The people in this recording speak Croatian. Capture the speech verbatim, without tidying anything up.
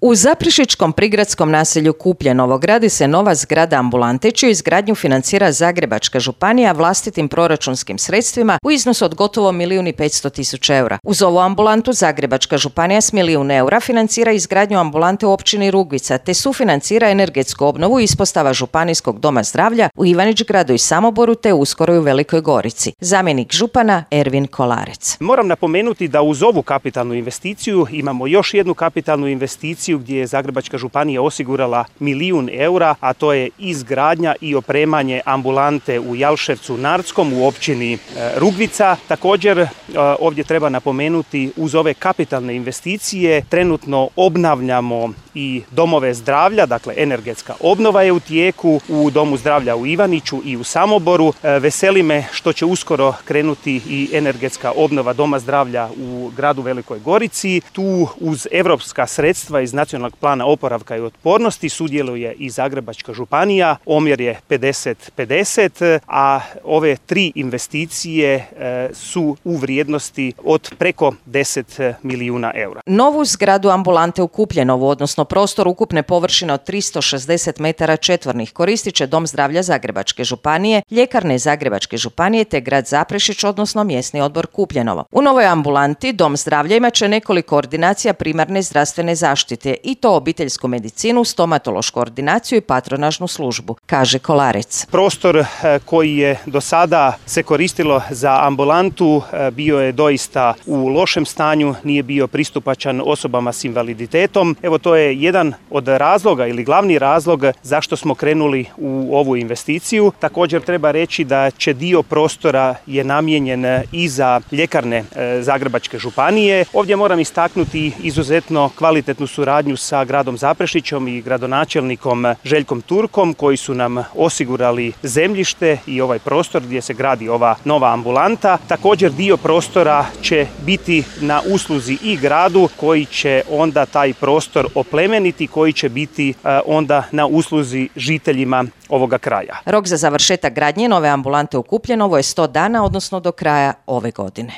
U Zaprešićkom prigradskom naselju Kupljenovo gradi se nova zgrada ambulante čiju izgradnju financira Zagrebačka županija vlastitim proračunskim sredstvima u iznosu od gotovo milijun i petsto tisuća eura. Uz ovu ambulantu Zagrebačka županija s milijun eura financira izgradnju ambulante u općini Rugvica te sufinancira energetsku obnovu ispostava Županijskog doma zdravlja u Ivanić-Gradu i Samoboru te uskoro i u Velikoj Gorici. Zamjenik župana Ervin Kolarec. Moram napomenuti da uz ovu kapitalnu investiciju imamo još jednu kapitalnu investiciju gdje je Zagrebačka županija osigurala milijun eura, a to je izgradnja i opremanje ambulante u Jalševcu Nardskom u općini Rugvica. Također ovdje treba napomenuti uz ove kapitalne investicije trenutno obnavljamo i domove zdravlja, dakle energetska obnova je u tijeku u Domu zdravlja u Ivaniću i u Samoboru. Veseli me što će uskoro krenuti i energetska obnova Doma zdravlja u gradu Velikoj Gorici. Tu uz europska sredstva iz Nacionalnog plana oporavka i otpornosti sudjeluje i Zagrebačka županija. Omjer je pedeset pedeset, a ove tri investicije su u vrijednosti od preko deset milijuna eura. Novu zgradu ambulante u Kupljenovu, odnosno prostor ukupne površine od tristo šezdeset metara četvornih koristit će Dom zdravlja Zagrebačke županije, ljekarne Zagrebačke županije te grad Zaprešić, odnosno mjesni odbor Kupljenovo. U novoj ambulanti Dom zdravlja imat će nekoliko ordinacija primarne zdravstvene zaštite i to obiteljsku medicinu, stomatološku ordinaciju i patronažnu službu, kaže Kolarec. Prostor koji je do sada se koristilo za ambulantu bio je doista u lošem stanju, nije bio pristupačan osobama s invaliditetom. Evo to je jedan od razloga ili glavni razlog zašto smo krenuli u ovu investiciju. Također treba reći da će dio prostora je namijenjen i za ljekarne Zagrebačke županije. Ovdje moram istaknuti izuzetno kvalitetnu suradnju sa gradom Zaprešićom i gradonačelnikom Željkom Turkom koji su nam osigurali zemljište i ovaj prostor gdje se gradi ova nova ambulanta. Također dio prostora će biti na usluzi i gradu koji će onda taj prostor oplemeniti, koji će biti onda na usluzi žiteljima ovoga kraja. Rok za završetak gradnje nove ambulante u Kupljenovo je sto dana, odnosno do kraja ove godine.